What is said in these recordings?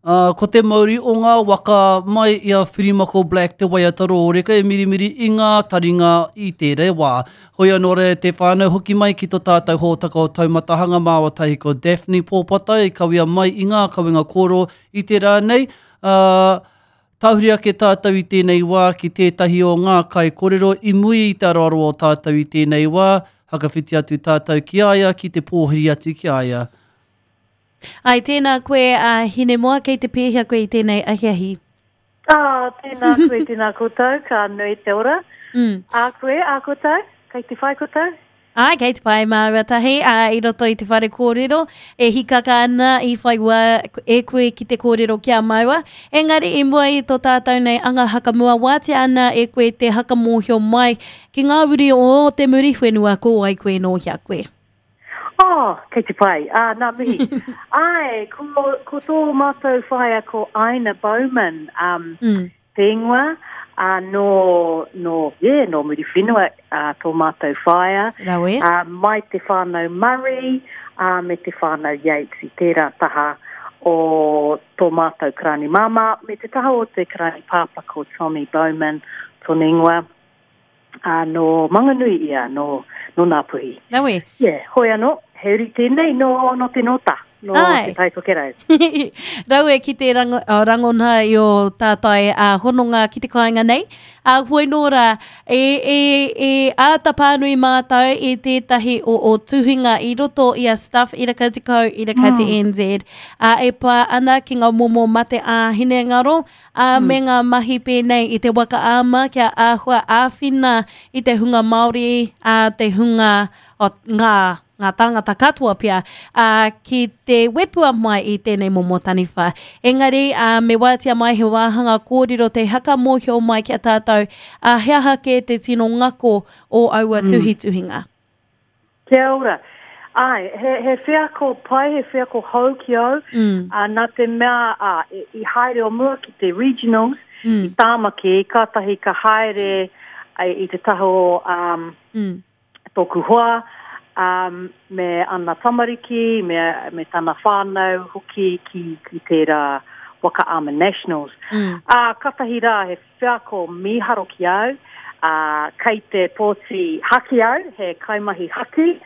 Ā, ko te mauri o ngā waka mai i a Whirimako Black te waiata rōreka e mirimiri i ngā taringa i tērā wā. Hoi anō rā te whānau hoki mai ki to tātou hōtaka o Taumatahanga māua tahi ko Daphne Pōpatai i kawea mai i ngā kawenga kōrero i te rā nei, ā, tahuri ake tātou i tēnei wā ki tētahi o ngā kaikorero i muri i te aroaro o tātou i tēnei wā, hakawhiti atu tātou ki a ia ki te pōhiri atu ki a ia. Ai, tēnā koe a Hinemoa, kei te pēhea koe i tēnei ahiahi? Ah, tēnā koe, tēnā koutou, ka nui te ora. Mm. A koe, a koutou, kei te whai koutou? Ai, kei te pai māua tahi, ā, i roto i te whare kōrero, e hikaka ana i whai wā e koe ki te kōrero ki a māua. Engari i mua i tō tātou nei anga hakamua, wātea ana e koe te hakamōhio mai ki ngā uri o te Muriwhenua ko wai koe nō hea koe. Oh, kei te pai. Ah, nā mihi. Ai, ko, ko tō mātou whaea ko Aina Bowman, um, mm. te ingoa, uh, nō, nō, yeah, nō Muriwhenua uh, tō mātou whaea. Rawe. Uh, mai te whānau Murray uh, me te whānau Yates i tērā taha o tō mātou karani māmā, me te taha o te karani pāpā ko Tommy Bowman tōna ingoa. Ā, nō Manganui ia, nō, nō Ngāpuhi. Rawe. Yeah, hoi anō, he uri tēnei nō, nō te Nōta, nō Āe. Te Tai Tokerau. Rawe ki te rango, oh, rangona i o tātai a hononga ki te kāinga nei. A hoi nō rā, e, e, e āta pānui mātou i tētahi o o tuhinga i roto i a Stuff Iraka Te Kau, Iraka Te NZ, a, e pā ana ki ngā momo mate ā-hinengaro, ā, me ngā mahi pēnei i te waka ama kia āhua āwhina i te hunga Māori, ā, te hunga, o, ngā, ngā tāngata katoa pea, ā, ki te wepua mai i tēnei momo taniwha. Engari, ā, me wātea mai he wāhanga kōrero te haka mōhio mai ki a tātou, ā, he aha kē te tino ngako o aua tuhituhinga. Kia ora. Āe, he, he wheako pai, he wheako hou ki au, mm. ā, nā te mea ā, i, i haere o mua ki te regionals, mm. i Tāmaki, kātahi ka haere ai, i te taha o um, mm. tōku hoa, um, me ana tamariki, me, me tana whānau hoki ki, ki tērā Waka Ama Nationals. Mm. Ā, kātahi rā, he Wheako mīharo ki au, ā, kei te pōti haki au, he kaimahi haki,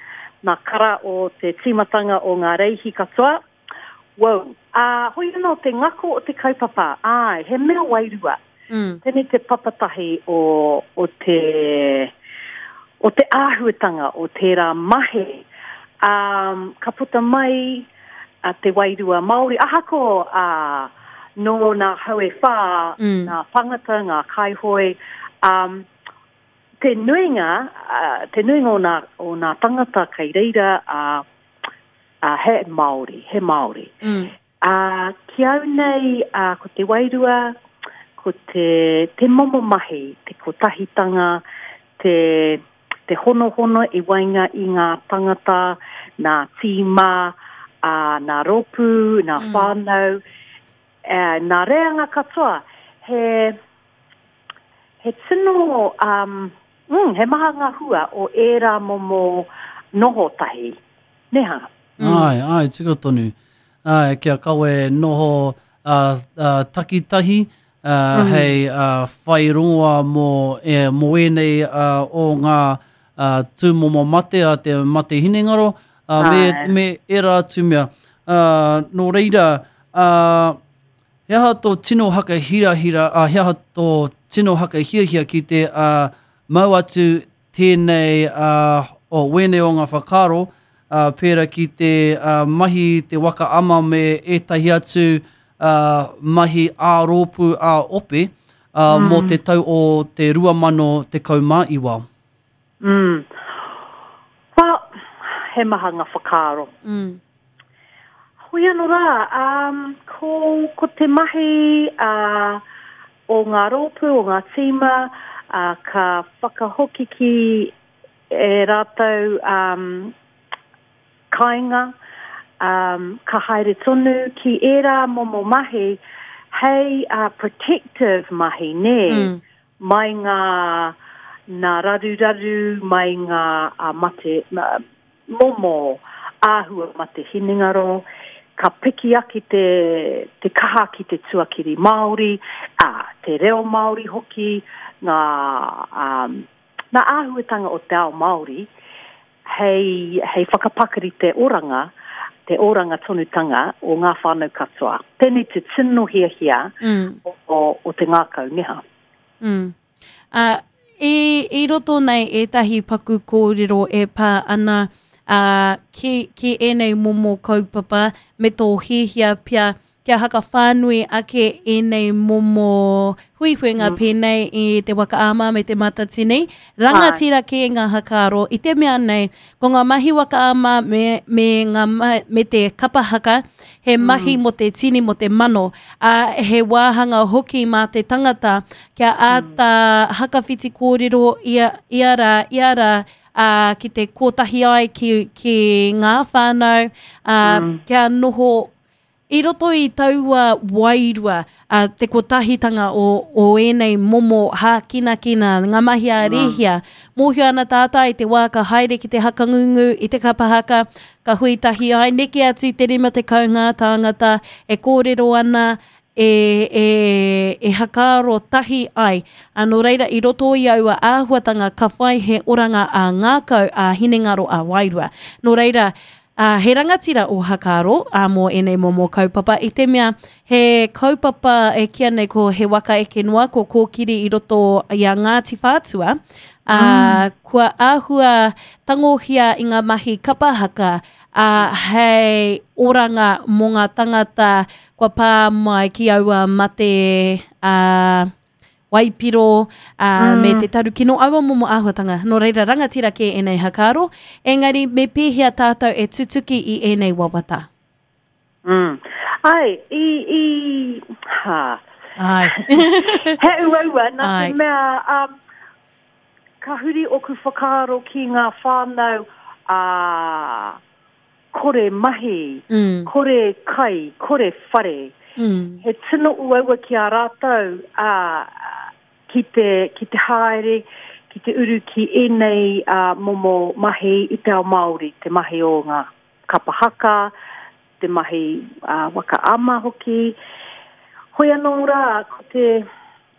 nā kara o te tīmatanga o ngā reihi katoa. Wou. Ā, hoi anō te ngako o te kaupapa, āe, he mea wairua. Mm. Tēnei te papatahi o, o te, o te āhuatanga o tērā mahi, ā, ka puta mai, a te wairua Māori, ahako a, nō nā hau e whā, mm. nā tangata, ngā kaihoe, um, te nuinga, uh, te nuinga o nā, o nā tangata kei reira, uh, uh, he Māori, he Māori. Mm. Uh, ki au nei, uh, ko te wairua, ko te, te momo mahi, te kotahitanga, te, te honohono i waenga i ngā tangata, nā tīma, ā, nā rōpū, nā Mm. whānau, ā, nā reanga katoa. He, he tino, um, mm, he maha ngā hua o ērā momo noho tahi, nē hā? Mm. Āe, āe, tika tonu. Āe, kia kawe noho uh, uh, takitahi, uh, Mm. hei uh, whai rongoa mō, e, mō ēnei uh, o ngā uh, tūmomo mate a te mate hinengaro, uh, me, Āe. me ērā atu mea. Uh, nō reira, uh, he aha tō tino haka hirahira, uh, he aha tō tino haka hiahia ki te uh, mau atu tēnei, uh, o wēnei o ngā whakaaro, uh, pērā ki te uh, mahi te waka ama me ētahi atu uh, mahi ā-rōpū ā-ope uh, mm. mō te tau o te 2019. Mm. Well, he maha ngā whakaaro. Mm. Hoi anō rā, um, ko, ko te mahi uh, o ngā rōpū, o ngā tīma, uh, ka whakahoki ki e rātou um, kāinga, um, ka haere tonu ki ērā momo mahi hei uh, protective mahi, nē? Mm. Mai ngā, nā raruraru, mai ngā uh, mate, uh, momo āhua mate hinengaro. ka piki ake te, te kaha ki te tuakiri Māori, ā, te reo Māori hoki, ngā, um, ngā āhuatanga o te ao Māori, hei, hei whakapakari te oranga, te oranga tonutanga o ngā whānau katoa. Tēnei te tino hiahia mm. o, o, o te ngākau, neha. Mm. Ā, i, i roto nei ētahi paku kōrero e pā ana ā, ki, ki ēnei momo kaupapa me tō hiahia pea kia hakawhānui ake ēnei momo huihuinga mm. pēnei i te waka ama me te matatini. Rangatira kē ngā hakaaro i te mea nei, ko ngā mahi waka ama me, me, ngā, me te kapa haka, he mahi mm. mō te tini, mō te mano, ā, he wāhanga hoki mā te tangata kia āta mm. hakawhiti kōrero ia, ia rā, ia rā, ā, ki te kōtahi ai ki, ki ngā whānau, ā, mm. kia noho I roto i taua wairua, a, te kotahitanga o, o ēnei momo hākinakina, ngā mahi a rēhia, mōhio ana tātai i te wā ka haere ki te hakangungu, i te kapa haka, ka hui tahi ai, neke atu i te 50 ngā tāngata e kōrero ana, e, e, e hakaaro tahi ai. A, nō reira, i roto i aua āhuatanga ka whai he oranga ā-ngākau, ā-hinengaro, ā-wairua. Nō reira, Ā, he rangatira o Hakaaro, ā, mō ēnei momo kaupapa, i te mea he kaupapa e kīa nei ko He Waka Eke Noa, ko Kōkiri i roto i a Ngāti Whātua, ā, mm. kua āhua tangohia i ngā mahi kapa haka, ā, hei oranga mō ngā tangata kua pā mai ki aua mate, ā, waipiro, ā, mm. me te tarukino, aua momo āhuatanga. Nō reira, rangatira kē ēnei hakaaro, engari me pēhea tātou e tutuki i ēnei wawata? Mm. Ai, i, i, ha. Ai. He uaua, nā te mea, um, ka huri oku whakaaro ki ngā whānau a uh, kore mahi, mm. kore kai, kore whare. Mm. He tino uaua ki a rātou a, ki, te, ki te haere, ki te uru ki ēnei uh, momo mahi i te ao Māori, te mahi o ngā kapa haka, te mahi uh, waka ama hoki. Hoi anō rā, ko te,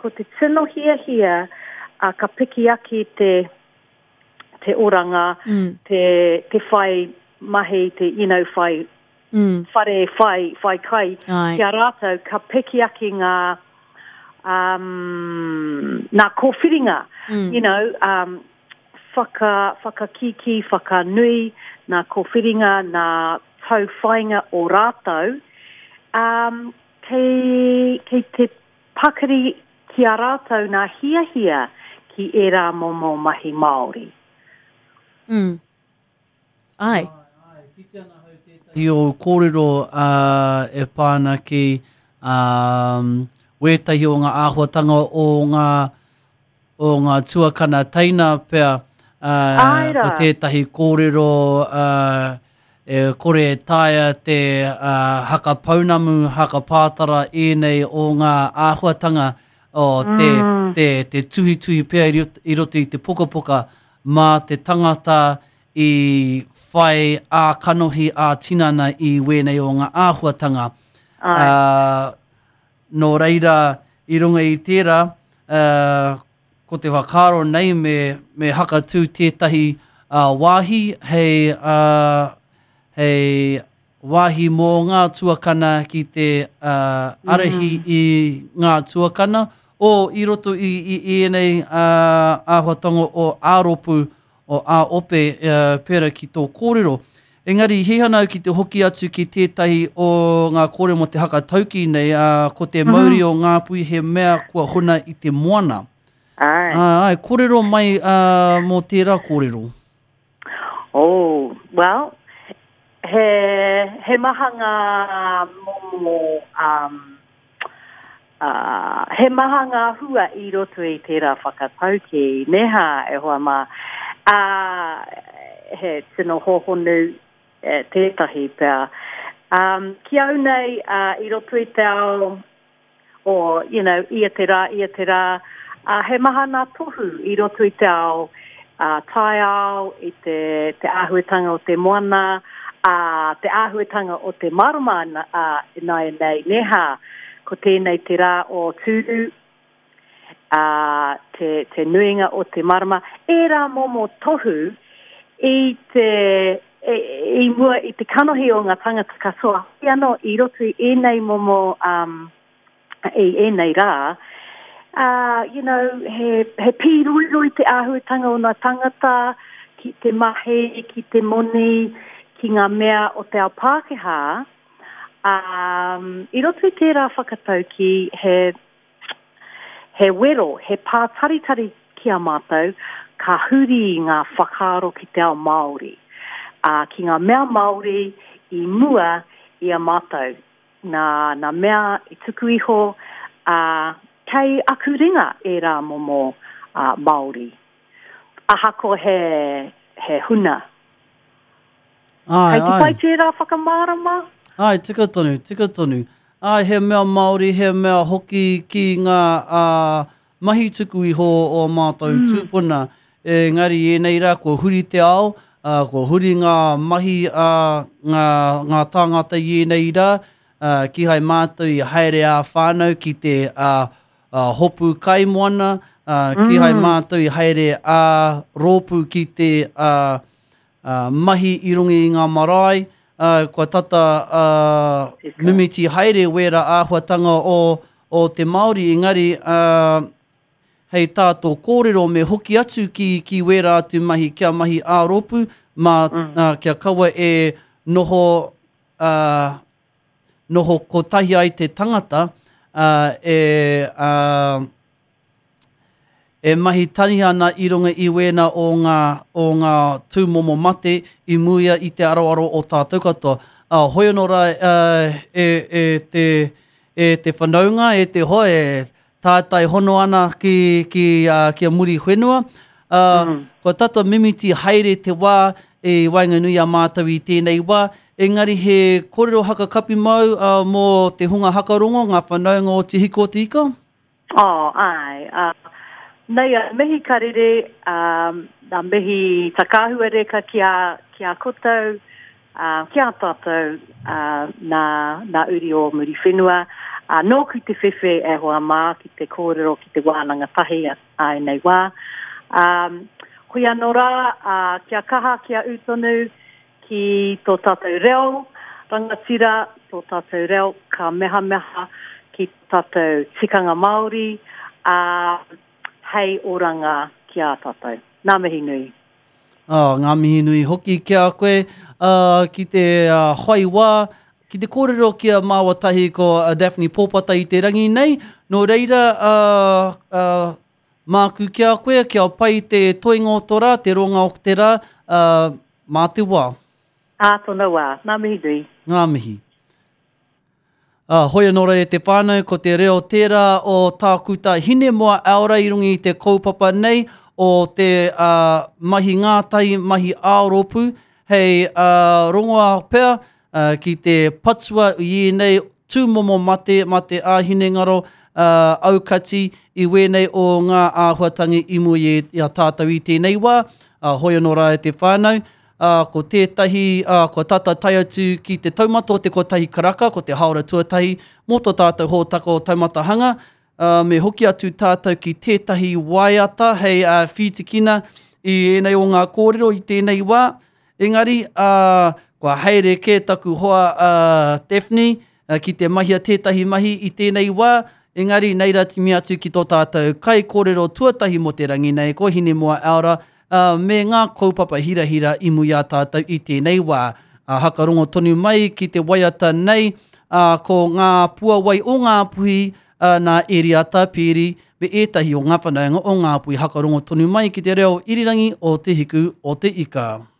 ko te tino hiahia uh, ka piki ake te, te oranga, mm. te, te whai mahi, te, you know, whai mm. whare, whai, whai kai, Ai. ki a rātou, ka piki ake ngā, um, ngā kōwhiringa, mm. you know, um, whaka, whakakīkī, whakanui, ngā kōwhiringa, ngā tauwhainga o rātou, um, kei, kei te pakari ki a rātou nā hiahia ki ērā momo mahi Māori. Mm. Ai. Ai, ai. Kite ana hau tētahi o kōrero uh, e pā ana ki um, wētahi o ngā āhuatanga o ngā, o ngā tuakana teina pea, uh, Ai rā. ko tētahi kōrero uh, E kore e taea te haka pounamu, haka pātara ēnei o ngā āhuatanga o te, mm. te, te tuhituhi pea i roto i te pukapuka mā te tangata i whai ā-kanohi, ā-tinana i wēnei o ngā āhuatanga. Ai. Uh, nō reira, i runga i tērā, uh, Ko te whakaaro nei me, me hakatū tētahi uh, wāhi hei, uh, hei wāhi mō ngā tuakana ki te uh, arahi mm. i ngā tuakana o i roto i, i, i ēnei uh, āhuatanga o āropu o ā-ope uh, pērā ki tō kōrero. Engari, i hiahia au ki te hoki atu ki tētahi o ngā kōrero mō te haka taukī nei, ā, ko te mauri mm -hmm. o Ngāpuhi he mea kua huna i te moana. Ai. Ā, ai, kōrero mai ā, mō tērā kōrero. Oh, well, he, he maha ngā momo um, Uh, he maha ngā hua i roto i tērā whakataukī, nē hā, e hoa mā. Uh, he tino hōhonu e, tētahi pea. Um, ki au nei, uh, i roto i te ao o, you know, ia te rā, ia te rā, uh, he maha ngā tohu i roto i te ao uh, taiao, i te, te āhuatanga o te moana, Ā, te āhuatanga o te marama ā, ināianei, nē hā, ko tēnei te rā o Tūru, ā, te, te nuinga o te marama, ērā momo tohu i te, i, i mua i te kanohi o ngā tangata katoa, hoi anō i roto i ēnei momo, um, i ēnei rā, ā, you know, he, he pīroiroi te āhuatanga o ngā tangata ki te mahi, ki te moni, ki ngā mea o te ao Pākehā, ā, i roto i tērā whakataukī, he, he wero, he pātaritari ki a mātou, ka huri ngā whakaaro ki te ao Māori, ā, ki ngā mea Māori i mua i a mātou. Nā, nā mea i tuku iho, ā, kei aku ringa ērā momo, ā, Māori. Ahakoa he, he huna. Āe, Kei te āe. pai tērā whakamārama? Āe, tika tonu, tika tonu. Āe, he mea Māori, he mea hoki ki ngā, ā, mahi tuku iho o ō mātou tūpuna. Engari i ēnei rā kua huri te ao, ā, kua huri ngā mahi a ngā, ngā tāngata i ēnei rā, ā, kīhai mātou i haere ā-whānau ki te, ā, ā, hopu kaimoana, ā, kīhai mātou i haere ā-rōpū ki te, ā, ā, mahi i runga i ngā marae, ā, kua tata, ā, mimiti haere wērā āhuatanga o, o te Māori, engari, ā, hei tā tō kōrero me hoki atu ki, ki wērā atu mahi kia mahi ā-rōpū, mā, ā, kia kaua e noho, ā, noho kotahi ai te tangata, ā, e, ā, e mahi taniha ana i runga i wēnā o ngā, o ngā tūmomo mate i muia i te aroaro o tātou katoa. Ā, hoi anō rā, ā, e, e te, e te whanaunga, e te hoa, e tātai hono ana ki, ki, ā, ki a Muriwhenua. Ā, kua tata mimiti haere te wā i waenganui i a mātou i tēnei wā, engari he kōrero hakakapi mau, ā, mō te hunga hakarongo, ngā whanaunga o Te Hiku o Te Ika? Oh, āe. Ā, nei a mihi ka rere, ā, nā mihi takāhua reka ki a, ki a koutou, ā, ki a tātou, ā, nā, nā uri o Muriwhenua. Ā, nōku te whewhe e hoa mā ki te kōrero ki te wānanga tahi a, a ēnei wā. Ā, hoi anō rā, ā, kia kaha, kia ū tonu, Ki tō tātou reo rangatira, tō tātou reo ka mehameha ki tō tātou tikanga Māori, ā, hei oranga ki a tātou. Ngā mihi nui. Ā, ngā mihi nui hoki ki a koe, ā, ki te whai wā, ki te kōrero ki a māua tahi ko Daphne Pōpata i te rangi nei, nō reira, ā, ā, Māku ki a koe, kia pai te toenga o to rā, te roanga o te rā, ā, mā te wā. Ā tōna wā. Ngā mihi nui. Ngā mihi. Ā, hoi anō rā e te whānau, ko te reo tērā o Tākuta Hinemoa Aora i runga i te kaupapa nei o te ā, mahi ngātahi, mahi ā-rōpū, hei ā, rongoā pea, ā, ki te patua i ēnei tūmomo mate, mate ā-hinengaro, ā, aukati i wēnei o ngā āhuatangi i mua i a tātou i tēnei wā, ā, hoi anō rā e te whānau, ā, ko tētahi, ā, kua tata tae atu ki te taumata o te kotahi karaka, ko te hāora tuatahi mō tō tātou hōtaka o Taumata Hanga, ā, me hoki atu tātou ki tētahi waiata hei ā, whītikina i ēnei o ngā kōrero i tēnei wā, Engari, ā, kua haere kē taku hoa a Daphne ki te mahia tētahi mahi i tēnei wā, engari nei rā timi atu ki tō tātou kaikōrero tuatahi mō te rangi nei, ko Hinemoa Aura, ā, me ngā kaupapa hirahira i mua i a tātou i tēnei wā. Ā, hakarongo tonu mai ki te waiata nei, ā, ko Ngā Puawai o Ngāpuhi, ā, nā Eriata Piri me ētahi o ngā whanaunga o Ngāpuhi hakarongo tonu mai ki te reo irirangi o Te Hiku o Te Ika.